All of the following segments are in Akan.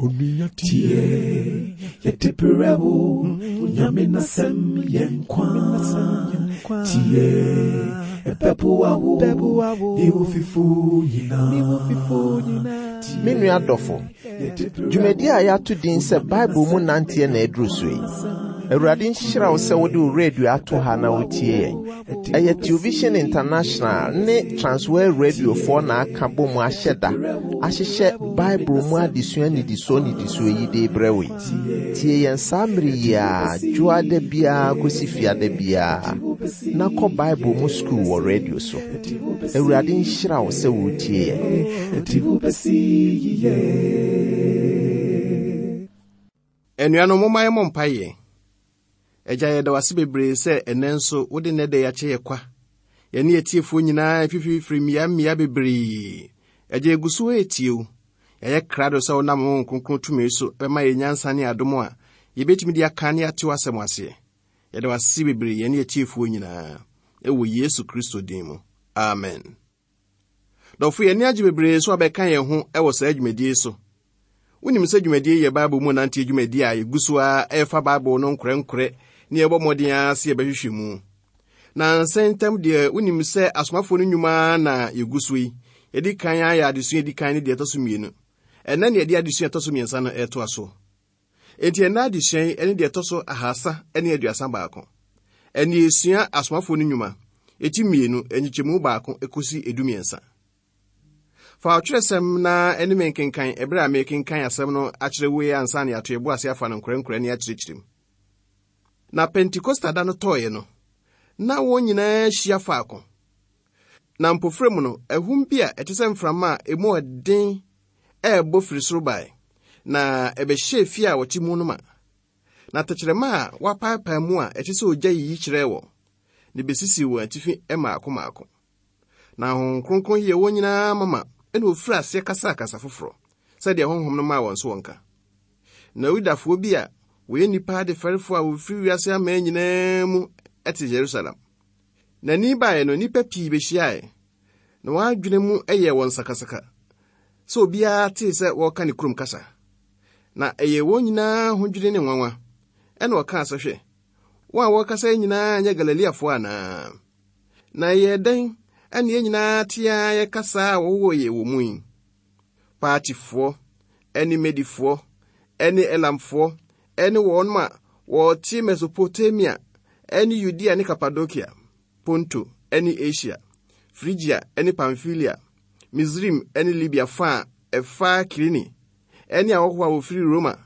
Tie, yɛde brɛ wo, Nyame n'asɛm yɛ nkwa. Tie, ɛbɛboa wo, ne wo fifo nyinaa. Me nua dɔfo, dwumadi a yɛato din sɛ Bible mu nanteɛ na aduru so yi. Awurade nhyira wo sɛ wode wo radio ato ha na wotie yɛn. Ɛyɛ Television International ne Transworld Radiofoɔ na aka bɔ mu ahyɛ da ahyehyɛ Bible mu adesua nnidisoɔ nnidisoɔ yi de rebrɛ wo yi. Tie yɛn saa mmere yi ara, dwoada biara kɔsi fiada biara, na kɔ Bible mu sukuu wɔ radio so. Awurade nhyira wo sɛ woretie yɛn. Anuanom, momma yɛmmɔ mpaeɛ. Agya, yɛda wo ase bebree sɛ ɛnnɛ nso wode nnɛ da yi akyɛ yɛ kwa. Yɛne atiefoɔ nyinaa fifirifiri mmea mmea bebree. Agya, yɛgu so retie wo. Yɛayɛ krado sɛ wonam Honhom Kronkron tumi so bɛma yɛn nyansa ne adom a yɛbɛtumi de aka ne ate w'asɛm aseɛ. Yɛda wo ase bebree yɛne atiefoɔ nyinaa. Ɛwɔ Yesu Kristo din mu. Amen. Dɔfo, yɛn ani agye bebree sɛ wabɛka yɛn ho wɔ saa dwumadie yi so. Wonim sɛ dwumadie yi yɛ Bible mu nanteɛ dwumadie a yɛgu so ara ɛrefa Bible no nkorɛnkorɛ ne yɛbɔ mmɔden ara sɛ yɛbɛhwehwɛ mu. Na nsɛn ntam deɛ wonim sɛ asomafoɔ no nnwuma na yɛgu so yi. Yɛdi kan ayɛ adesua ɛdi kan ne deɛ ɛtɔ so mmienu. Ɛnnɛ ne yɛde adesua ɛtɔ so mmiɛnsa no ɛretoa so. Enti ɛnnɛ adesua yi ne deɛ ɛtɔ so 331. Ɛnne yɛsua Asomafoɔ no Nnwuma, eti mmienu, nkyekyɛmu baako kɔsi 13. Fa ɔtwerɛsɛm na ɛne me nkenkan ɛberɛ a merekenkan asɛm no akyerɛ wo yi ansa na yɛato yɛbo ase afa no nkorɛnkorɛ ne akyerɛkyerɛ mu. Na Pentekosta da no tɔeɛ no, na wɔn nyinaa ahyia faako. Na mpofirim no, ahum bi a ɛte sɛ mframa a emu ɔden rebɔ firi soro bae, na ɛbɛhyɛɛ fie a wɔte mu no ma. Na tɛkyerɛma a wɔapaepae mu a ɛte sɛ ogya yiyi kyerɛɛ wɔn, na ebesisii wɔn atifi mmaako mmaako. Na Honhom Kronkron yɛɛ wɔn nyinaa mama, ɛna wɔfirii aseɛ kasaa kasa foforɔ, sɛdeɛ Honhom no maa wɔn so wɔnka. Na Yudafoɔ bi a wɔyɛ nnipa adefɛrefoɔ a wɔfiri wiase aman nyinaa mu te Yerusalem. Na ni baeɛ no, nnipa pii bɛhyiaeɛ, na wɔn adwene mu yɛɛ wɔn sakasaka sɛ obiara tee sɛ wɔreka ne kurom kasa. Na ɛyɛɛ wɔn nyinaa ahodwiri ne nwanwa. Ɛnna wɔkaa sɛ, Hwɛ, wɔn a wɔrekasa yi nyinaa nyɛ Galileafoɔ anaa? Na ɛyɛɛ dɛn na yɛn nyinaa te ara yɛ kasa a wɔwoo yɛn wɔ mu yi? Partifoɔ ne Medifoɔ ne Elamfoɔ ne wɔn a wɔte Mesopotamia ne Yudea ne Kapadokia, Ponto ne Asia, Frigia ne Pamfilia, Misraim ne Libia fa a ɛfa Kirene, ne ahɔhoɔ a wɔfiri Roma,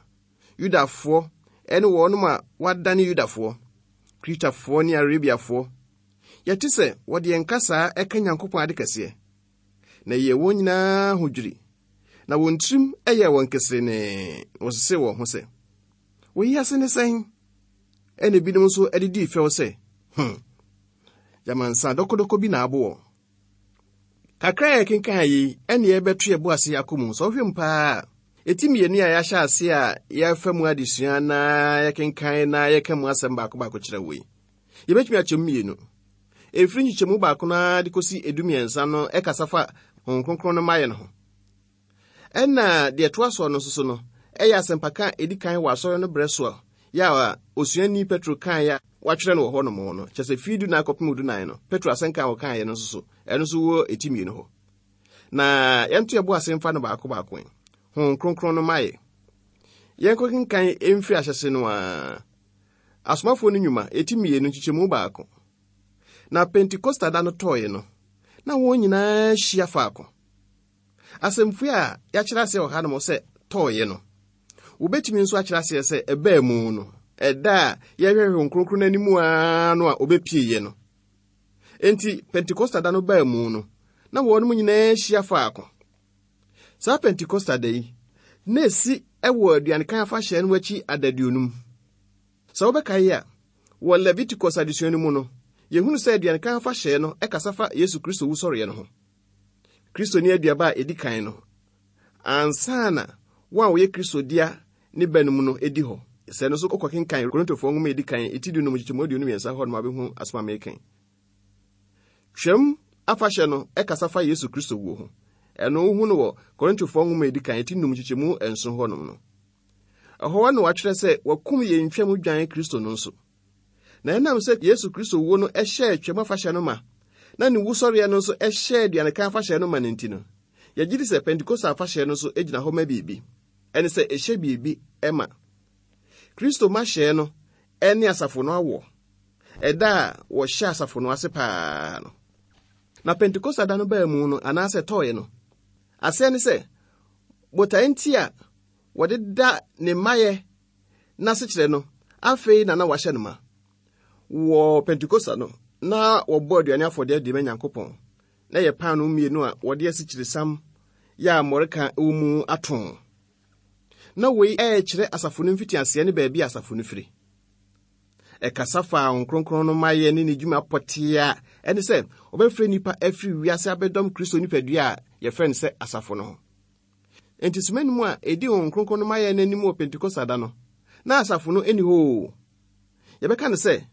Yudafoɔ ne wɔn a wɔadane Yudafoɔ, Kretafoɔ ne Arabiafoɔ. Yɛte sɛ wɔde yɛn kasaa ɛka Nyankopɔn ade kɛseɛ. Na ɛyɛɛ wɔn nyinaa ahodwiri, na wɔn tirim yɛɛ wɔn keserenee, na wɔsesee wɔn ho sɛ, Wei ase ne sɛn? Ɛnna ebinom nso de dii fɛw sɛ, Hmm, gyama nsa dɔkɔdɔkɔ bi na abo wɔn. Kakra a yɛkenkan yi, ɛnna yɛbɛto yɛn bo ase akɔ mu. Sɛ wohwɛ mu paa a, eti mmienu a yɛahyɛ ase a yɛafa mu adesua na yɛkenkan na yɛka mu asɛm baako baako kyerɛ wo yi, yɛbɛtumi akyɛ mu mmienu. Ɛfiri nkyekyɛmu baako no ara de kɔsi 13 no ɛkasa fa Honhom Kronkron no mmaeɛ no ho. Ɛnna deɛ ɛtoa soɔ no nso so no, ɛyɛ asɛmpaka a ɛdi kan wɔ asɔre no berɛ so a yɛ a osuani Petro kaeɛ a wɔatwerɛ no wɔ hɔnom no, kyerɛ sɛ firi dunan kɔpem dunan no, Petro asɛnka a ɔkaeɛ no nso so, ɛno nso wɔ ɛti mmienu hɔ. Na yɛnto yɛbo ase mfa no baako baako ɛ. Honhom Kronkron no mayɛ. Yɛnkɔkenkan mfiri ahyɛse no ara. Asomafoɔ no Nnwuma, ɛti mmienu, nkyekyɛmu baako. Na Pentekosta da no tɔeɛ no, na wɔn nyinaa hyia faako. Asɛmfua a yɛakyerɛ aseɛ wɔ hanom sɛ tɔeɛ no, wobɛtumi nso akyerɛ aseɛ sɛ ɛbaa mu no, ɛda a yɛhwehwɛ Honhom Kronkron no anim ara no a ɔbɛpieeɛ no. Enti Pentekosta da no baa mu no, na wɔnom nyinaa hyia faako. Saa Pentekosta da yi, na ɛsi wɔ aduanekan afahyɛ no akyi adaduonum. Sɛ wobɛkae a, wɔ Leviticus adesua no mu no, yɛhunu sɛ aduanekan afahyɛ no kasa fa Yesu Kristo wusɔreɛ no ho. Kristo ne aduaba a edi kan no ansa na wɔn a wɔyɛ Kristo dea ne ba no mu no di hɔ. Sɛ no nso wokɔkenkan Korintofoɔ nwoma a edi kan eti 15 nkyekyɛmu 23 hɔ nom abɛhu asɛm a meka yi. Twam afahyɛ no kasa fa Yesu Kristo wuo ho. Ɛno wohu no wɔ Korintofoɔ nwoma a ɛdi kan, ti num nkyekyɛmu nson hɔnom no. Ɛhɔ na wɔatwerɛ sɛ wɔakum yɛn twam dwan Kristo no nso. Na ɛnam sɛ Yesu Kristo wuo no hyɛɛ Twam afahyɛ no ma, na ne wusɔreɛ no nso hyɛɛ aduanekan afahyɛ no ma no nti no, yɛgye di sɛ Pentekoste afahyɛ no nso gyina hɔ ma biribi. Ɛne sɛ ɛhyɛ biribi ma. Kristo mahyɛɛ no ne asafo no awoɔ, ɛda a wɔhyɛ asafo no ase paa no. Na Pentekoste da no baa mu no, anaasɛ ɛtɔeɛ no, aseɛ ne sɛ botae nti a wɔde da ne mmayɛ n'asekyerɛ no, afei na na wɔahyɛ no ma. Wɔ Pentekoste no, na wɔbɔ aduane afɔdeɛ de ma Nyankopɔn. Na ɛyɛ paanoo mmienu a wɔde asikyiresiam yɛ a mmɔreka wɔ mu atõ. Na wei rekyerɛ asafo no mfitiaseɛ ne baabi a asafo no firi. Ɛkasa faa Honhom Kronkron no mayɛ ne ne dwuma pɔtee a ɛne sɛ ɔbɛfrɛ nnipa afiri wiase abɛdɔm Kristo nipadua a yɛfrɛ no sɛ asafo no ho. Enti soma nnum a edi Honhom Kronkron no mayɛ no anim wɔ Pentekoste da no, na asafo no nni hɔ oo. Yɛbɛka no sɛ,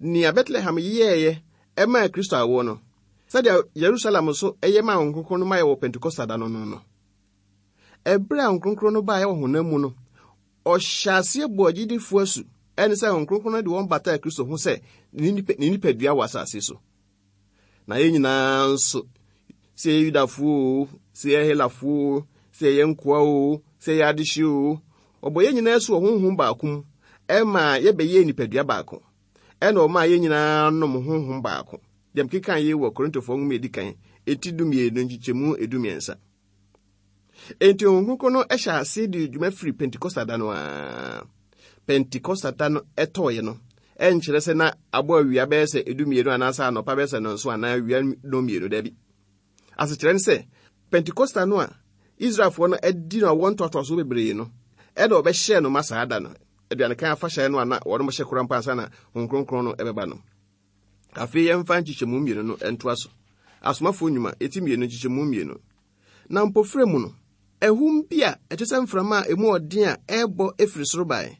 nea Betlehem yɛeɛ maa Kristo awoɔ no, sɛdeɛ Yerusalem nso yɛ maa Honhom Kronkron no mayɛ wɔ Pentekoste da no no no. Ɛberɛ a Honhom Kronkron no baeɛ wɔ honam mu no, ɔhyɛ aseɛ bɔɔ agyidifoɔ asu, ɛne sɛ Honhom Kronkron no de wɔn bataa Kristo ho sɛ ne nipadua wɔ asase so. Na yɛn nyinaa nso, sɛ yɛyɛ Yudafoɔ oo, sɛ yɛyɛ Helafoɔ oo, sɛ yɛyɛ nkoa oo, sɛ yɛyɛ adehye oo, wɔbɔ yɛn nyinaa asu wɔ honhom baako mu ɛma yɛbɛyɛɛ nipadua baako. Ɛna ɔmaa yɛn nyinaa nom honhom baako. Deɛ mekeka yi wɔ Korintofoɔ nwoma edi kan, eti dumienu nkyekyɛmu edumiɛnsa. Enti Honhom Kronkron no hyɛ ase de dwuma firi Pentekosta da no ara. Pentekosta da no ɛtɔɔeɛ no, ɛnkyerɛ sɛ na abɔ awia bɛyɛ sɛ edumienu anaasɛ anɔpa bɛyɛ sɛ nnɔnson anaa awia nnɔnmienu, dabi. Asekyerɛ ne sɛ, Pentekosta no a Israelfoɔ no adi no awoɔ ntoatoasoɔ bebree no, ɛna wɔbɛhyɛɛ no ma saa da no, aduanekan afahyɛ no a na wɔnom hyɛ koraa mpo ansa na Honhom Kronkron no ɛbɛba no. Afei yɛmfa nkyekyɛmu mmienu no ntoa so. Asomafoɔ Nnwuma, eti mmienu, nkyekyɛmu mmienu. Na mpofirem mu no, ahum bi a ɛte sɛ mframa a emu ɔden a ɛrebɔ firi soro bae,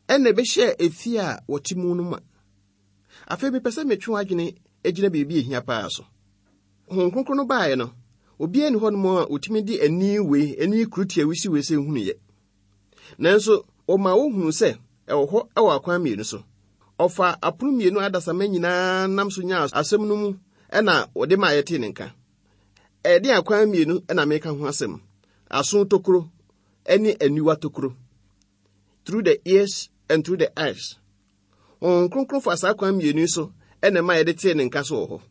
ɛnna ɛbɛhyɛɛ efie a wɔte mu no ma. Afei mepɛ sɛ metwe w'adwene gyina biribi a ehia paa so. Honhom Kronkron no baeɛ no, obiara nni hɔnom a otumi de ani wei, ani kurutia wisiwei sɛ hunuiɛ. Nanso wɔmaa wohunuu sɛ ɛwɔ hɔ wɔ akwan mmienu so. Ɔfaa apono mmienu a adasamma nyinaa nam so nyaa asɛm no mu na wɔde maa yɛtee ne nka. Ɛdeɛn akwan mmienu na meka ho asɛm? Aso tokuro ne aniwa tokuro. Through the ears and through the eyes. Honhom Kronkron fa saa kwan mmienu yi so na ɛma yɛde tee ne nka so wɔ hɔ.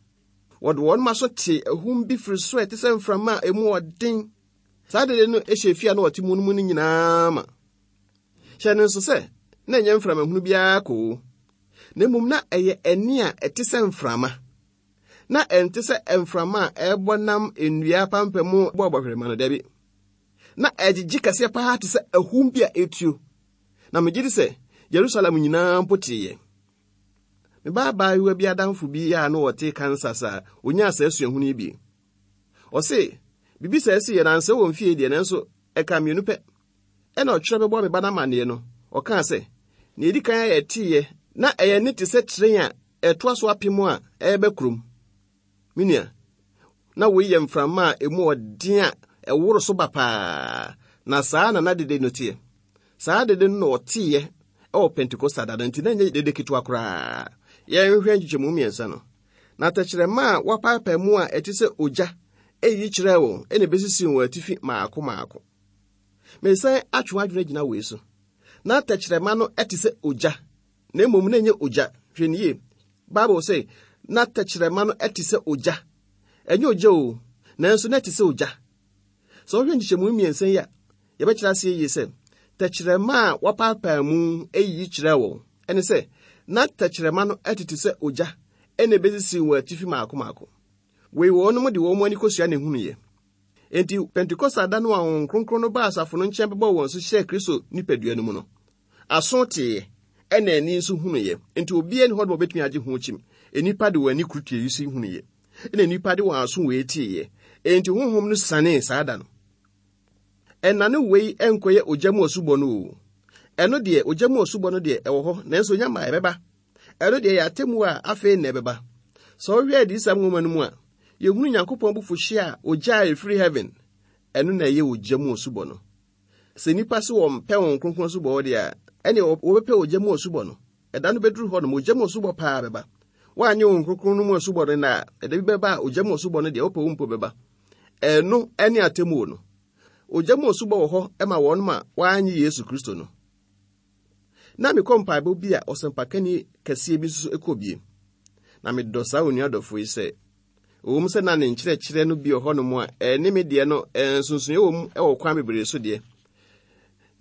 Wɔde wɔn aso tee ahum bi firi soro a ɛte sɛ mframa a emu ɔden. Saa dede no hyɛ efie a na wɔte mu no mu no nyinaa ma. Hyɛ no nso sɛ na ɛnyɛ mframa hunu biara koo, na mmom na ɛyɛ ɛnne a ɛte sɛ mframa. Na ɛnte sɛ mframa a ɛrebɔ nam nnua apampam mu bɔ bɔhwerema no, dabi. Na ɛgyegye kɛseɛ paa te sɛ ahum bi a ɛretuo. Na megye di sɛ Yerusalem nyinaa mpo teeɛ. Me ba abaayewa bi adamfo bi a na ɔte Kansas a onyaa saa suahunu yi bi. Ɔse, biribi saa si yɛ na ansɛ wɔ mfie deɛ nanso ɛka mmienu pɛ. Ɛna ɔtwerɛ bɛbɔ me ba no amanneɛ no, ɔkaa sɛ, nea ɛdi kan a yɛteeɛ na ɛyɛ nne te sɛ tren a ɛtoa so apem a ɛreba kurom. Me nua, na wei yɛ mframa a emu ɔden a ɛworo so ba paa, na saa na na dede no teɛ. Saa dede no na ɔteeɛ wɔ Pentekosta da no, nti na ɛnyɛ dede ketewa koraa. Yɛnhwɛ nkyekyɛmu mmiɛnsa no. Na tɛkyerɛma a wɔapaapae mu a ɛte sɛ ogya eyi kyerɛɛ wɔn na ebesisii wɔn atifi mmaako mmaako. Meresan atwe w'adwene agyina wei so. Na tɛkyerɛma no te sɛ ogya, na mmom na ɛnyɛ ogya. Hwɛ no yie. Bible sɛ, na tɛkyerɛma no te sɛ ogya. Ɛnyɛ ogya o, nanso na ɛte sɛ ogya. Sɛ wohwɛ nkyekyɛmu mmiɛnsa yi a, yɛbɛkyerɛ aseɛ yie sɛ tɛkyerɛma a wɔapaapae mu eyiyi kyerɛɛ wɔn. Ɛne sɛ, na tɛkyerɛma no tete sɛ ogya ɛna ebesisii wɔn atifi mmaako mmaako. Wei wɔnom de wɔn ani kosua na ehunuiɛ. Enti Pentekoste da no a Honhom Kronkron no baa asafo no nkyɛn bɛbɔɔ wɔn so hyɛɛ Kristo nipadua no mu no, aso teeɛ, ɛna ani nso hunuiɛ. Enti obiara nni hɔ nom a obetumi agye ho kyim. Nnipa de wɔn ani kuru tie yi so hunuiɛ, ɛna nnipa de wɔn aso wei teeɛ. Enti Honhom no sianee saa da no. Ɛnane wei nkɔyɛ ogya mu asubɔ no o. Ɛno deɛ, ogya mu asubɔ no deɛ, ɛwɔ hɔ, nanso nya ma ɛbɛba. Ɛno deɛ ɛyɛ atemmuo a afei na ɛbɛba. Sɛ wohwɛ Adiyisɛm nwoma no mu a, Yɛhunu Nyankopɔn abufuhyeɛ a ogya a ɛfiri heaven, ɛno na ɛyɛ ogya mu asubɔ no. Sɛ nnipa se wɔmpɛ Honhom Kronkron asubɔ hɔ deɛ a, ɛneɛ wɔbɛpɛ ogya mu asubɔ no. Ɛda no bɛduru hɔ nom, ogya mu asubɔ paa bɛba. Woanyɛ Honhom Kronkron no mu asubɔ no nnɛ a, ɛda bi bɛba a ogya mu asubɔ no deɛ wopɛ wo mpo bɛba. Ɛno ne atemmuo no. Ogya mu asubɔ wɔ hɔ ma wɔn a wɔannye Yesu Kristo no. Na mekɔ mpaebɔ bi a ɔsɛmpakani kɛseɛ bi nso kɔ bie. Na medɔ saa onua dɔfo yi sɛ, ɛwom sɛ na ne nkyerɛkyerɛ no bi wɔ hɔnom a ɛne me deɛ no nsonsonoeɛ wɔ mu wɔ kwan bebree so deɛ.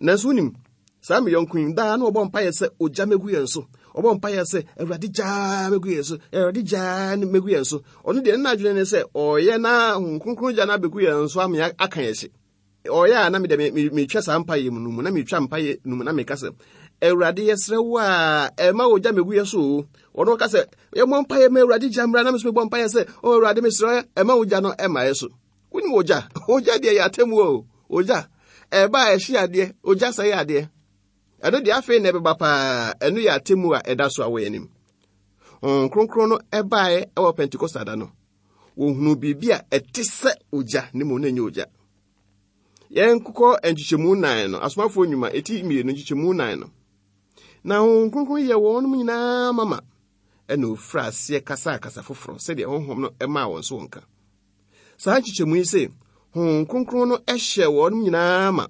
Nanso wonim, saa me yɔnko yi, daa na ɔbɔ mpaeɛ sɛ ogya mɛgu yɛn so. Ɔbɔ mpaeɛ sɛ, Awurade gyaa mɛgu yɛn so, Awurade gyaa mɛgu yɛn so. Ɔno deɛ ne n'adwene ne sɛ ɔyɛ na Honhom Kronkron gya no abɛgu yɛn so ama aka yɛn hye. Ɔyɛ a na mede metwa saa mpaeɛ mu no mu, na metwa mpaeɛ no mu na meka sɛ, Awurade yɛsrɛ wo a ɛma ogya mɛgu yɛ so o. Ɔno ɔka sɛ, yɛmmɔ mpaeɛ ma Awurade gya mmra, na me nso mebɔ mpaeɛ sɛ, o Awurade mesrɛ ɛma ogya no ɛma yɛ so. Wonim ogya? Ogya deɛ yɛ atemmuo o. Ogya, ɛba a ɛhye adeɛ, ogya sɛe adeɛ. Ɛno deɛ afei na ɛbɛba paa, ɛno yɛ atemmuo a ɛda so a wɔ yɛn anim. Honhom Kronkron no ɛbaeɛ ɛwɔ Pentekosta da no. Wɔhunuu biribi a ɛte sɛ ogya, ne mmom na ɛnyɛ ogya. Yɛnkokɔ nkyekyɛmu nan no, Asomafoɔ Nnwuma, ɛti mmienu nkyekyɛmu nan no. Na Honhom Kronkron yɛ wɔn nyinaa mama, ɛna ofiri aseɛ kasaa kasa foforɔ sɛdeɛ Honhom no maa wɔn so wɔn ka. Saa nkyekyɛmu yi se, Honhom Kronkron no hyɛ wɔn nyinaa ma.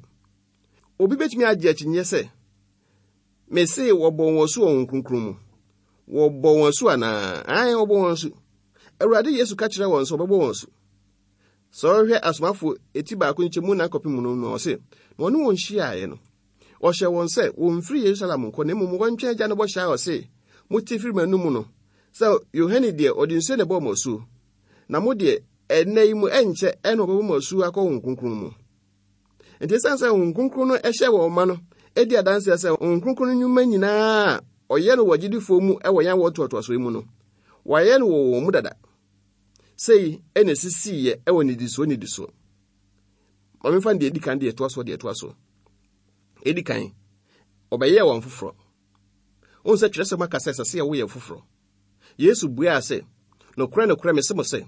Obi betumi agye akyinnye sɛ, mese wɔbɔ wɔn asu wɔ Honhom Kronkron mu. Wɔbɔ wɔn asu anaa? Ae, wɔbɔ wɔn asu. Awurade Yesu ka kyerɛ wɔn sɛ wɔbɛbɔ wɔn asu. Sɛ ɔhwɛ asomafo eti baako nkyɛmu nan kɔpem no no, ɔse, na ɔne wɔn hyiaeɛ no, ɔhyɛ wɔn sɛ wɔmfiri Yerusalem nkɔ na mmom wɔntwɛn Agya no bɔhyɛ a ɔse, mote firi m'anom no, sɛ Yohane deɛ ɔde nsuo na ɛbɔɔ mo asuo, Na mo deɛ, ɛnnɛ yi mu ɛnkyɛ ɛna wɔbɛbɔ mo asu akɔ Honhom Kronkron mu. Nti ɛsiane sɛ Honhom Kronkron no hyɛ wɔn ma no di adanseɛ sɛ Honhom Kronkron no nnwuma nyinaa a ɔyɛ no wɔ agyidifoɔ mu wɔ yɛn awoɔ ntoatoasoɔ yi mu no, wɔayɛ no wɔ wɔn mu dada. Sei ɛna ɛsisiiɛ wɔ nnidisoɔ nnidisoɔ. Ma memfa no deɛ ɛdi kan deɛ ɛtoa soɔ deɛ ɛtoa soɔ. Ɛdi kan, ɔbɛyɛɛ wɔn foforɔ. Wohu sɛ twerɛsɛm aka sɛ ɛsɛ sɛ yɛwo yɛn foforɔ. Yesu buaa sɛ, Nokorɛ, nokorɛ, mese mo sɛ,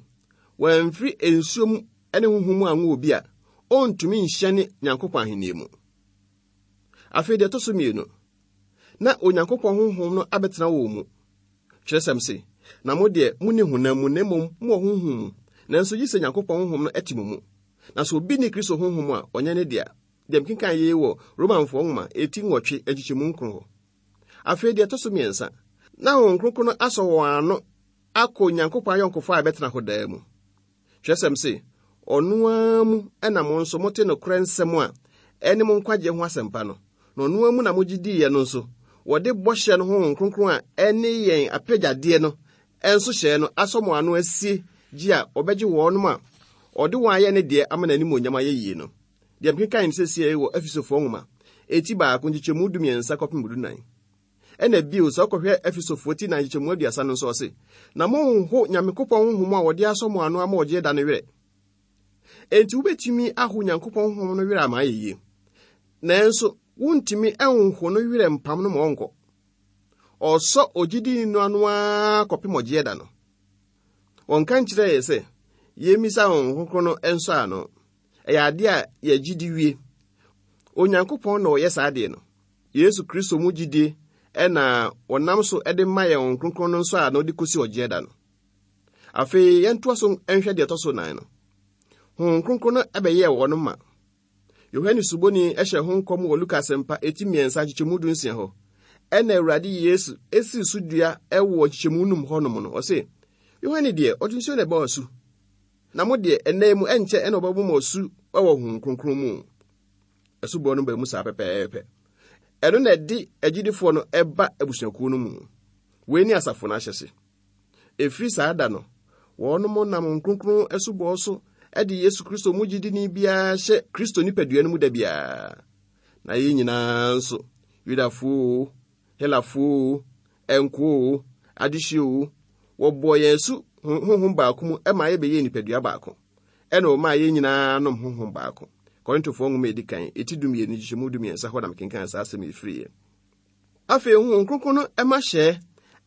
wɔamfiri nsuo mu ne honhom mu anwo obi a, ɔntumi nhyɛne Nyankopɔn ahennie mu. Afei deɛ ɛtɔ so mmienu, na Onyankopɔn honhom no abɛtena wɔn mu. Twerɛsɛm se, na mo deɛ monni honam mu na mmom mowɔ honhom mu, nanso gye sɛ Nyankopɔn honhom no te mo mu. Na sɛ obi nni Kristo honhom a, ɔnyɛ ne dea. Deɛ mekenkan yei wɔ Romanfoɔ nwoma eti nwɔtwe nkyekyɛmu nkron hɔ. Afei deɛ ɛtɔ so mmiɛnsa, na Honhom Kronkron no asɔ wɔn ano akɔ Onyankopɔn ayɔnkofa a ɛbɛtena hɔ daa mu. Twerɛsɛm se, ɔno ara mu na mo nso mote nokorɛ nsɛm a ɛne mo nkwagyeɛ ho asɛmpa no, na ɔno ara mu na mogye diiɛ no nso, wɔde bɔhyɛ no Honhom Kronkron a ɛne yɛn apɛgyadeɛ no nso hyɛɛ no asɔ mo ano asie gye a ɔbɛgye wɔnom a ɔde wɔn ayɛ ne deɛ ama n'animuonyam ayɛ yie no. Deɛ mekenkan no seesei wɔ Efesofoɔ nwoma, eti baako nkyekyɛmu dumiɛnsa kɔpem dunan. Ɛna bio, sɛ wokɔhwɛ Efesofoɔ ti nan nkyekyɛmu aduasa no nso ɔse, Na monnho Nyankopɔn honhom a wɔde asɔ mo ano ama ɔgyeɛ da no werɛ. Enti wobɛtumi aho Nyankopɔn honhom no werɛ ama ayɛ yie. Nanso, wontumi nho no werɛ mpam no ma ɔnkɔ. Ɔsɔ ogyidini no ano ara kɔpem ɔgyeɛ da no. Wɔnka nkyerɛɛ yɛ sɛ yɛmmisa Honhom Kronkron no nsɔ ano. Ɛyɛ adeɛ a yɛgye di wie. Onyankopɔn na ɔyɛ saa adeɛ no. Yesu Kristo mu gyidie na wɔnam so de ma yɛn Honhom Kronkron no nsɔ ano de kɔsi ɔgyeɛ da no. Afei yɛntoa so nhwɛ deɛ ɛtɔ so nan no. Honhom Kronkron no bɛyɛɛ wɔn ma. Yohane Suboni hyɛ ho nkɔm wɔ Luka Asɛmpa eti mmiɛnsa nkyekyɛmu du nsia hɔ. Ɛna Awurade Yesu esii so dua wɔ nkyekyɛmu num hɔnom no, ɔse, Yohane deɛ, ɔde nsuo na ɛbɔɔ asu. Na mo deɛ, ɛnnɛ yi mu ɛnkyɛ ɛna ɔbɛbɔ mo asu wɔ Honhom Kronkron mu. Asubɔ no ba mu saa pɛpɛɛpɛ. Ɛno na ɛde agyidifoɔ no ɛba abusuakuo no mu. Wei ne asafo no ahyɛse. Ɛfiri saa da no, wɔnom nam Honhom Kronkron asubɔ so de Yesu Kristo mu gyidini biara hyɛ Kristo nipadua no mu da biara. Na yɛn nyinaa nso, Yudafoɔ o, Helafoɔ o, nkoa oo, adehye oo, wɔbɔɔ yɛn asu honhom baako mu ma yɛbɛyɛɛ nipadua baako. Ɛna wɔmaa yɛn nyinaa nom honhom baako. Korintofoɔ nwoma a ɛdi kan, eti dumienu, nkyekyɛmu dumiɛnsa hɔ na mekenkan saa asɛm yi firiiɛ. Afei Honhom Kronkron no ma hyɛɛ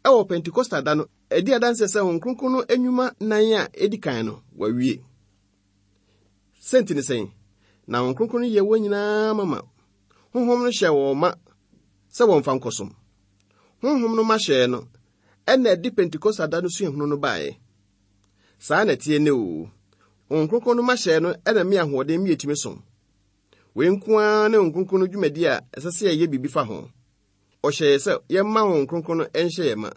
wɔ Pentekosta da no. Ɛdi adanseɛ sɛ Honhom Kronkron no nnwuma nan a ɛdi kan no, wawie. Sɛnti ne sɛn? Na Honhom Kronkron no yɛ wɔn nyinaa mama. Honhom no hyɛ wɔn ma sɛ wɔmfa nkɔsom. Honhom no ma hyɛɛ no, ɛna ɛde Pentekoste da no suahunu no baeɛ. Saa na ɛteɛ nnɛ o. Honhom Kronkron no ma hyɛɛ no ɛna me ahoɔden me yɛtumi som. Wei nko ara ne Honhom Kronkron no dwumadi a ɛsɛ sɛ yɛyɛ biribi fa ho. Ɔhyɛ yɛ sɛ yɛmma Honhom Kronkron no nhyɛ yɛn ma.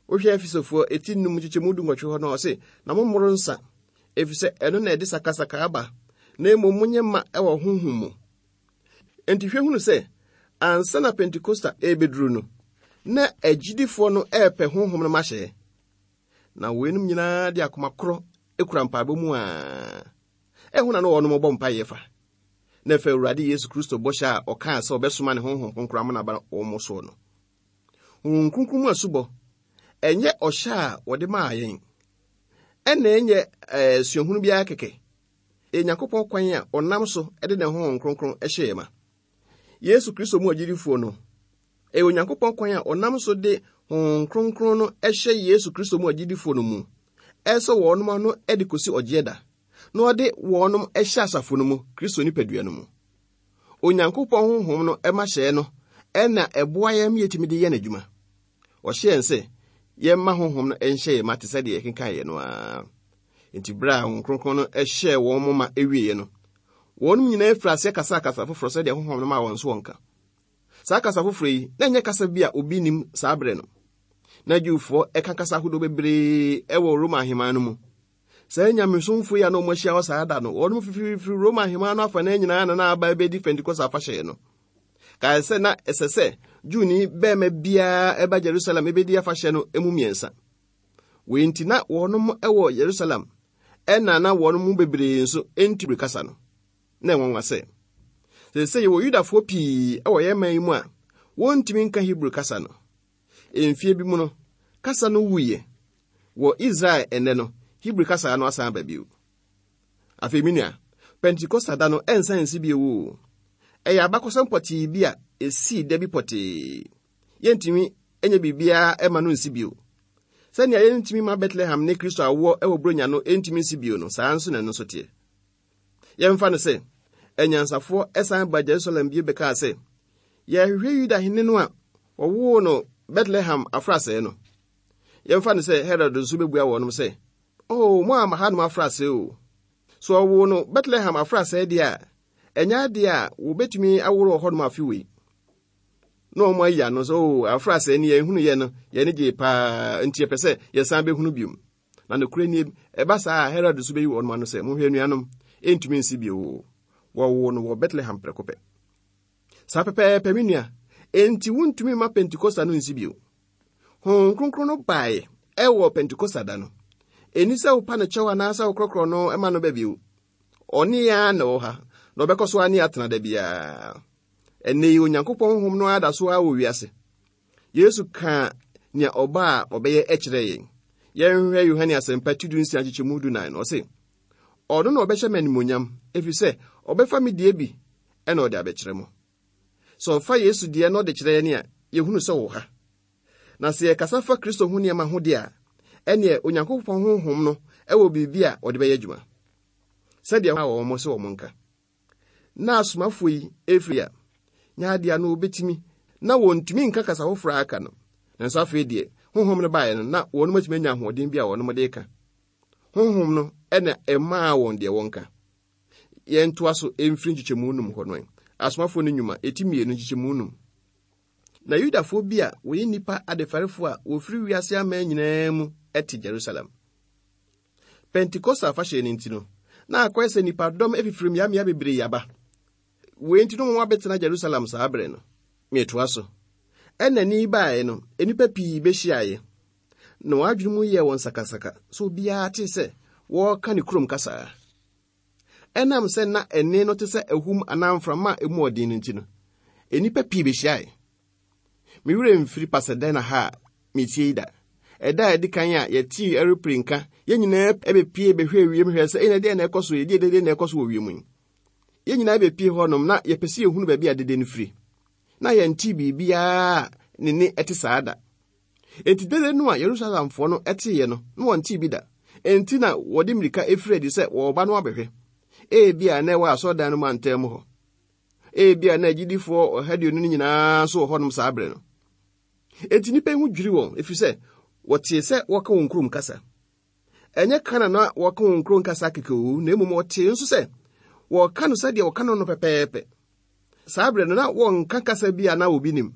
Wohwɛ Efesofoɔ eti num nkyekyɛmu dunwɔtwe hɔ no a, ɔse, Na mommoro nsa, efisɛ ɛno na ɛde sakasaka aba, na mmom monyɛ ma wɔ honhom mu. Enti hwɛ hunu sɛ, ansa na Pentekosta ɛrebɛduru no, na agyidifoɔ no ɛrepɛ honhom no mahyɛ. Na weinom nyinaa de akoma korɔ kura mpaebɔ mu a ɛho na na wɔnom bɔ mpaeɛ fa. Na ɛfa Awurade Yesu Kristo bɔhyɛ a ɔkaa sɛ ɔbɛsoma ne honhom kronkron ama no aba wɔn soɔ no. Honhom kronkron mu asubɔ, ɛnyɛ ɔhyɛ a wɔde maa yɛn, ɛna ɛnyɛ eh, suahunu biara kɛkɛ. Ɛyɛ Nyankopɔn kwan a ɔnam so de ne honhom kronkron hyɛ yɛn ma. Yesu Kristo mu agyidifoɔ no, ɛyɛ Onyankopɔn kwan a ɔnam so de honhom kronkron no hyɛ Yesu Kristo mu agyidifoɔ no mu, ɛsɔ wɔnom ano de kɔsi ɔgyeɛ da, na ɔde wɔnom hyɛ asafo no mu, Kristo nipadua no mu. Onyankopɔn honhom no ma hyɛɛ no na ɛboa yɛn ma yɛtumi de yɛ n'adwuma. Ɔhyɛ yɛn sɛ yɛmma honhom no nhyɛ yɛn ma te sɛ deɛ yɛkenkan yɛ no ara. Enti berɛ a Honhom Kronkron no hyɛɛ wɔn ma ɛwieɛ no, wɔn nyinaa firi aseɛ kasaa kasa foforɔ sɛdeɛ honhom no maa wɔn so wɔnka. Saa kasa foforɔ yi, na ɛnyɛ kasa bi a obi nim saa berɛ no. Na Jewfoɔ ɛka kasa ahodoɔ bebree ɛwɔ Roma ahemman no mu. Saa nyamesomfo yi a na wɔahyia hɔ saa da no, wɔn fifirifiri Roma ahemman no afanan nyinaa na na aba abɛdi Pentekoste afahyɛ no. Kae sɛ na ɛsɛ sɛ Jewni bɛrima biara ɛba Jerusalem ɛbɛdi afahyɛ no mu mmiɛnsa. Wei nti na wɔnom wɔ Yerusalem ɛna na wɔn mu bebree nso ntumi kasa no. Na ɛnwanwa sɛ, seesei yɛwɔ Yudafoɔ pii wɔ yɛn man yi mu a wɔntumi nka Hebrew kasa no. Mfie bi mu no, kasa no wuiɛ. Wɔ Israel ɛnnɛ no, Hebrew kasa no asan aba bio. Afei me nua, Pentekosta da no ɛnsan nsi bio o. Ɛyɛ abakɔsɛm pɔtee bi a esii da bi pɔtee. Yɛntumi nyɛ biribiara ɛma no nsi bio. Sɛnea yɛntumi ma Bethlehem ne Kristo awoɔ wɔ Buronya no ntumi nsi bio no, saa nso na ɛno nso teɛ. Yɛmfa no sɛ, anyansafoɔ san ba Jerusalem bio bɛkaa sɛ, yɛrehwehwɛ Yuda hene no a wɔwoo no Bethlehem afrasɛɛ no. Yɛmfa no sɛ Herod nso bɛbua wɔnom sɛ, Oh, mo ama hanom afrasɛɛ o. So ɔwoo no Bethlehem afrasɛɛ deɛ a, ɛnyɛ adeɛ a wɔbɛtumi aworo wɔ hɔnom afe wei. Na wɔn ayi ano sɛ, oh, afrasɛɛ ni yɛn hunu yɛ no, yɛn ani gyee paa, nti yɛpɛ sɛ yɛsan bɛhunu biom. Na nokorɛ nie, ɛba saa a, Herod nso bɛyi wɔn ano sɛ, Monhwɛ anuanom, ɛntumi nsi bio o. Wɔwoo no wɔ Bethlehem prɛko pɛ. Saa pɛpɛɛpɛ, me nua, enti wontumi mma Pentekosta no nsi bio. Honhom Kronkron no baeɛ ɛwɔ Pentekosta da no. Ɛnni sɛ wopa no kyɛw anaasɛ wokorɔkorɔ no ma no ba bio. Ɔne yɛn ara na ɛwɔ ha, na ɔbɛkɔ so ara ne atena da biara. Ɛnnɛ yi, Onyankopɔn honhom no ara da so ara wɔ wiase. Yesu kaa nea ɔba a ɔbɛyɛ kyerɛɛ yɛn. Yɛnhwɛ Yohane Asɛmpa ti dunsia nkyekyɛmu dunan no, ɔse, Ɔno na ɔbɛhyɛ me animuonyam, ɛfiri sɛ ɔbɛfa me deɛ bi na ɔde abɛkyerɛ mo. Sɛ ɔfa Yesu deɛ na ɔde kyerɛ yɛn a, yɛhunu sɛ ɔwɔ ha. Na sɛ yɛkasa fa Kristo ho nneɛma ho deɛ a, ɛneɛ Onyankopɔn honhom no wɔ biribi a ɔde bɛyɛ adwuma. Sɛdeɛ wɔn sɛ wɔn nka. Na asomafoɔ yi ɛfiri a, nyɛ adeɛ a na wɔbɛtumi, na wɔntumi nka kasa foforɔ a aka no. Nanso afei deɛ, honhom no baeɛ no, na wɔn atumi anya ahoɔden bi a wɔn de ka. Honhom no na ɛmaa wɔn deɛ wɔnka. Yɛntoa so mfiri nkyekyɛmu num hɔ no. Asomafoɔ no nnwuma, ɛti mmienu nkyekyɛmu num. Na Yudafoɔ bi a wɔyɛ nnipa adefɛrefoɔ a wɔfiri wiase aman nyinaa mu te Jerusalem. Pentekoste afahyɛ no nti no, na akɔyɛ sɛ nnipadɔm afifiri mmeammea bebree aba. Wei nti no wɔn abɛtena Jerusalem saa bere no. Metoa so. Ɛna ni baeɛ no, nnipa pii bɛhyiaeɛ. Na wɔn adwene mu yɛɛ wɔn sakasaka sɛ obiara tee sɛ wɔreka ne kurom kasa. Ɛnam sɛ na ɛnne no te sɛ ahum anaa mframa a emu ɔden no nti no, nnipa pii behyiae. Me werɛ mfiri Pasadena ha a metie yi da. Ɛda a ɛdi kan a yɛtee aeroplane nka, yɛn nyinaa bepie bɛhwɛɛ wiem hwɛɛ sɛ, ɛna deɛ na ɛkɔ so yi, deɛ dede na ɛkɔ so wɔ wiem yi. Yɛn nyinaa bepie hɔnom na yɛpɛ sɛ yɛhunu baabi a dede no firi. Na yɛntee biribiara a ne nne ɛte saa da. Enti dede no a Yerusalemfoɔ no teeɛ no, na wɔntee bi da. Enti na wɔde mmirika firi adi sɛ wɔreba no abɛhwɛ. Ebia na ɛwɔ asɔredan no mu antam hɔ. Ebia na agyidifoɔ ɔha aduonu no nyinaa nso wɔ hɔnom saa berɛ no. Enti nnipa yi ho dwiri wɔn, ɛfiri sɛ wɔtee sɛ wɔka wɔn kurom kasa. Ɛnyɛ ka na na wɔka wɔn kurom kasa kɛkɛ o, na mmom wɔtee nso sɛ wɔka no sɛdeɛ wɔka no no pɛpɛɛpɛ. Saa berɛ no na wɔnka kasa bi a na obi nim.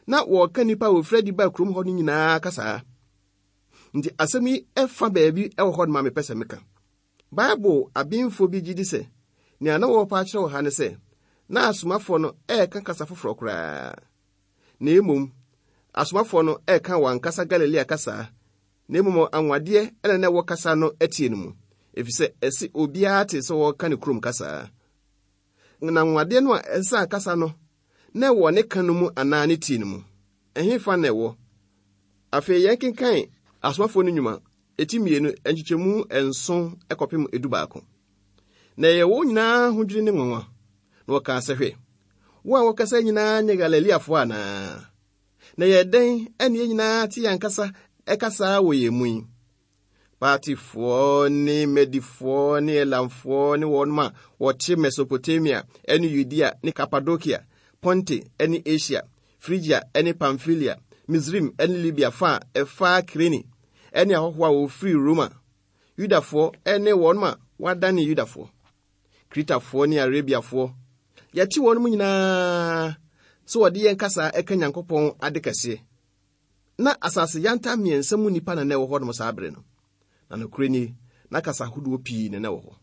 Na wɔka nnipa a wɔfiri adi baa kurom hɔ no nyinaa kasaa. Nti asɛm yi fa baabi wɔ hɔ no ma mepɛ sɛ meka. Bible abenfo bi gye di sɛ nea na wɔrepɛ akyerɛ wɔ ha ne sɛ na asomafoɔ no reka kasa foforɔ koraa. Na mmom, asomafoɔ no reka wɔn ankasa Galilea kasa, na mmom anwadeɛ na na ɛwɔ kasa no atie no mu, efisɛ ɛse obiara tee sɛ wɔreka ne kurom kasa. Na anwadeɛ no a ɛsaa kasa no na ɛwɔ ne ka no mu anaa ne tie no mu. Ɛhefa na ɛwɔ? Afei yɛnkenkan Asomafoɔ no Nnwuma, eti 2, nkyekyɛmu 7 kɔpem 11. Na ɛyɛ wɔn nyinaa ahodwiri ne nwanwa, na wɔkaa sɛ, Hwɛ, wo a wɔkasa nyinaa nyɛ Galileafoɔ anaa? Na ɛyɛ dɛn ɛne yɛn nyinaa te yɛn ankasa ɛkasaa wɔ yɛn mu yi? Partifoɔ ne Medifoɔ ne Elamfoɔ ne wɔn a wɔte Mesopotamia ne Yudea ne Kapadokia, Ponte ne Asia, Frigia ne Pamfilia, Misraim ne Libia fa a ɛfa Kirene, ne ahɔhoɔ a wɔfiri Roma, Yudafoɔ ne wɔn a wɔadane Yudafoɔ, Kretafoɔ ne Arabiafoɔ, yɛte wɔn mu nyinaa sɛ wɔde yɛn kasa ɛka Nyankopɔn ade kɛseɛ. Na asase yantam mmiɛnsa mu nnipa na na ɛwɔ hɔnom saa bere no. Na nokorɛ nie, na kasa ahodoɔ pii na na ɛwɔ hɔ.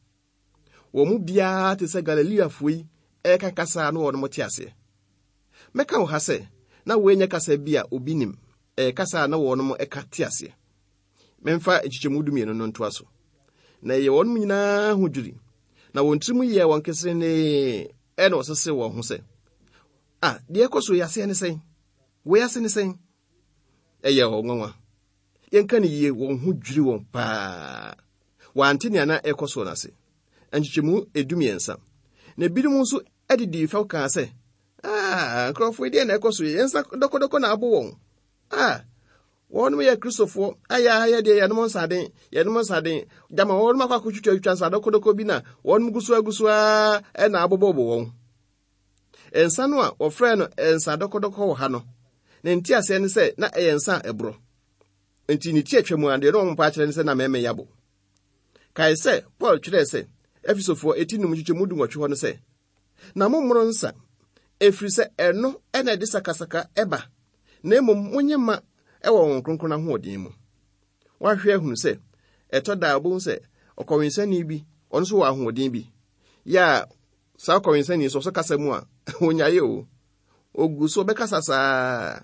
Wɔn mu biara te sɛ Galileafoɔ yi ɛreka kasa a na wɔn te aseɛ. Mɛka wɔ ha sɛ, na wei nyɛ kasa bi a obi nim, ɛyɛ kasa a na wɔn ka te aseɛ. Memfa nkyekyɛmu 12 no ntoa so. Na ɛyɛ wɔn nyinaa ho dwiri, na wɔn tirim yɛɛ wɔn keserenee, ɛna wɔsesee wɔn ho sɛ, A, deɛ ɛkɔ so yi aseɛ ne sɛn? Wei ase ne sɛn? Ɛyɛ wɔn nwanwa. Yɛnka no yie, wɔn ho dwiri wɔn paa. Wɔante nea na ɛrekɔ soɔ no ase. Nkyekyɛmu 13. Na ebinom nso de dii fɛw kaa sɛ, Ah, nkurɔfoɔ yi deɛ na ɛkɔ so yi, yɛn nsa dɔkɔdɔkɔ na abo wɔn. Ah, wɔnom yɛ Kristofoɔ, ayɛ a yɛ deɛ yɛnom nsaden, yɛnom nsaden. Gyama wɔnom akɔ akɔtwitwatwitwa nsa dɔkɔdɔkɔ bi na wɔnom gu so agu so ara na abobɔbɔ wɔn. Nsa no a wɔfrɛɛ no nsa dɔkɔdɔkɔ wɔ ha no, ne nteaseɛ ne sɛ na ɛyɛ nsa a ɛborɔ. Enti ne ti atwa mu a, deɛ na wɔmpa akyerɛ ne sɛ na mɛmɛ yabo. Kae sɛ Paul twerɛɛ sɛ Efesofoɔ eti 5 nkyekyɛmu 18 hɔ no sɛ, Na mommoro nsa, ɛfiri sɛ ɛno na ɛde sakasaka ɛba, na mmom monyɛ ma ɛwɔ Honhom Kronkron ahoɔden mu. Woahwɛ ahunu sɛ ɛtɔ da a wobɛhu sɛ ɔkɔwensani bi, ɔno nso wɔ ahoɔden bi, yɛ a saa ɔkɔwensani nso ɔsɔ kasa mu a, ɔnyaeɛ o. Ɔgu so ɔbɛkasa saa.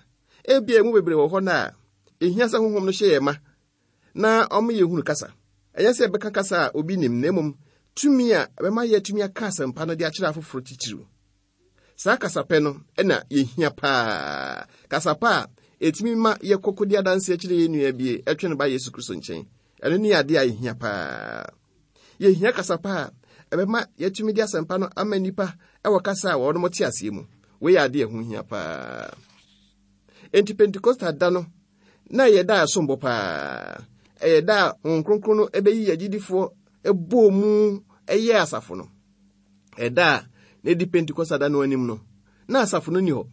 Ebia emu bebree wɔ hɔ no a, ɛhia sɛ honhom no hyɛ yɛn ma na ɔma yɛhunu kasa. Ɛnyɛ sɛ yɛbɛka kasa a obi nim, na mmom tumi a ɛbɛma yɛatumi aka asɛmpa no de akyerɛ afoforo titiriw. Saa kasapɛ no na yɛhia paa. Kasapa a ɛtumi ma yɛkɔ kɔdi adanseɛ kyerɛ yɛn nua bi ɛtwe no ba Yesu Kristo nkyɛn. Ɛno ne adeɛ a yɛhia paa. Yɛhia kasapa a ɛbɛma yɛatumi de asɛmpa no ama nnipa ɛwɔ kasa a wɔnom te aseɛ mu. Wei yɛ adeɛ a ɛho hia paa. Enti Pentekosta da no, na ɛyɛ da a ɛsom bo paa. Ɛyɛ da a Honhom Kronkron no ɛbɛyi agyidifoɔ ɛbɔɔ mu ɛyɛɛ asafo no. Ɛda a na ɛdi Pentekosta da no anim no, na asafo no nni hɔ.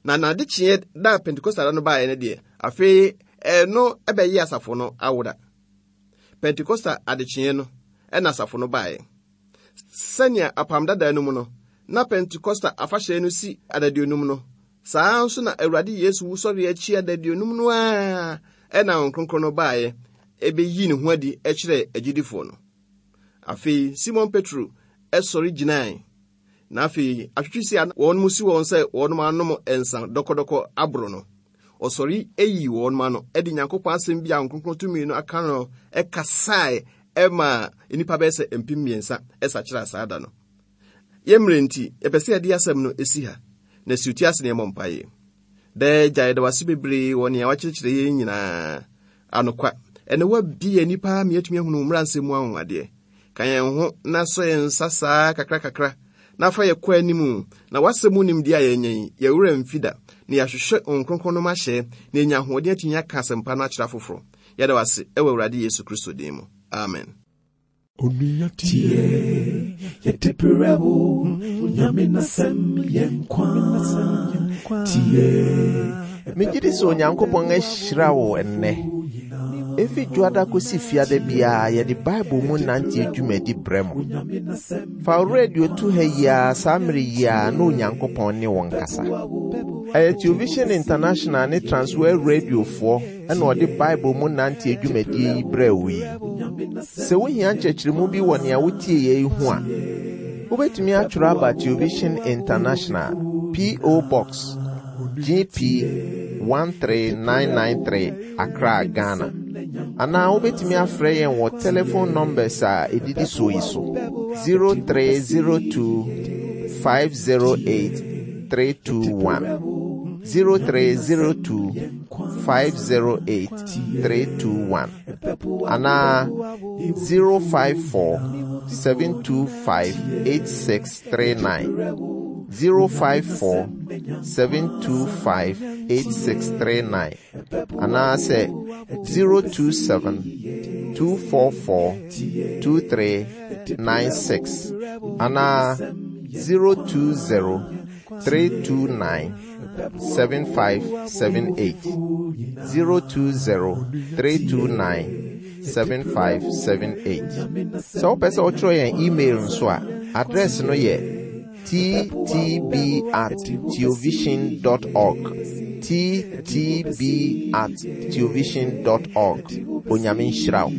Na n'adekyeɛ da a Pentekosta da no baeɛ no deɛ, afei ɛno ɛbɛyɛ asafo no awoda. Pentekosta adekyeɛ no ɛna asafo no baeɛ. Sɛnea apam dada no mu no, na Pentekosta afahyɛ no si adaduonum no, saa ara nso na Awurade Yesu wusɔre akyi adaduonum no ara ɛna Honhom Kronkron no baeɛ ɛbɛyii ne ho adi kyerɛɛ agyidifoɔ no. Afei Simon Petro sɔre gyinae, na afei atwetwesi a wɔn mu si wɔn sɛ wɔn anom nsa dɔkɔdɔkɔ aboro no, ɔsɔre yii wɔn ano de Nyankopɔn asɛm bi a Honhom Kronkron tumi no aka no kasae maa nnipa bɛyɛ sɛ 3,000 sakyeraa saa da no. Yɛn mmerɛ nti, yɛpɛ sɛ yɛde asɛm no si ha, na si ti ase na yɛmmɔ mpaeɛ. Daa Agya, yɛda wo ase bebree wɔ nea wakyerɛkyerɛ yɛn nyinaa. Anokwa, ɛnɛ woabie yɛn ani paa ma yɛatumi ahunu wo mmara nsɛm mu anwanwadeɛ. Ka yɛn ho na sɔ yɛn nsa saa kakra kakra, Na fa yɛ kɔ anim, na w'asɛm mu nimdeɛ a yɛanya yi, yɛn werɛ mfi da, na yɛahwehwɛ Honhom Kronkron no mahyɛ, na yɛanya ahoɔden atumi aka asɛmpa no akyerɛ afoforo. Yɛda wo ase wɔ Awurade Yesu Kristo din mu. Amen. Onua tie, yɛde brɛ wo, Onyame n'asɛm yɛ nkwa. Tie. Megye di sɛ Onyankopɔn ahyira wo ɛnnɛ. Efi Dwoada kosi Fiada biara yɛde Bible mu nanteɛ dwumadi brɛ mo. Fa wo radio to ha yi ara saa mmere yi ara na Onyankopɔn ne wo nkasa. Ɛyɛ Television International ne Transworld Radiofoɔ na ɔde Bible mu nanteɛ dwumadie yi brɛɛ wo yi. Sɛ wohia nkyerɛkyerɛmu bi wɔ nea wotieeɛ yi ho a, wobɛtumi atwerɛ aba Television International, P.O. Box, GP 13993, Accra, Ghana. Anaa wobɛtumi afrɛ yɛn wɔ telephone numbers a ɛdidi soɔ yi so 0302 508 321 0302 508 321 anaa 054 725 8639 054 725 8639 anaasɛ 027 244 2396 anaa 020 329 7578 020 329 7578. Sɛ wopɛ sɛ wotwerɛ yɛn email nso a, address no yɛ ttb at teovision dot org. ttb at teovision dot org. Onyame nhyira wo.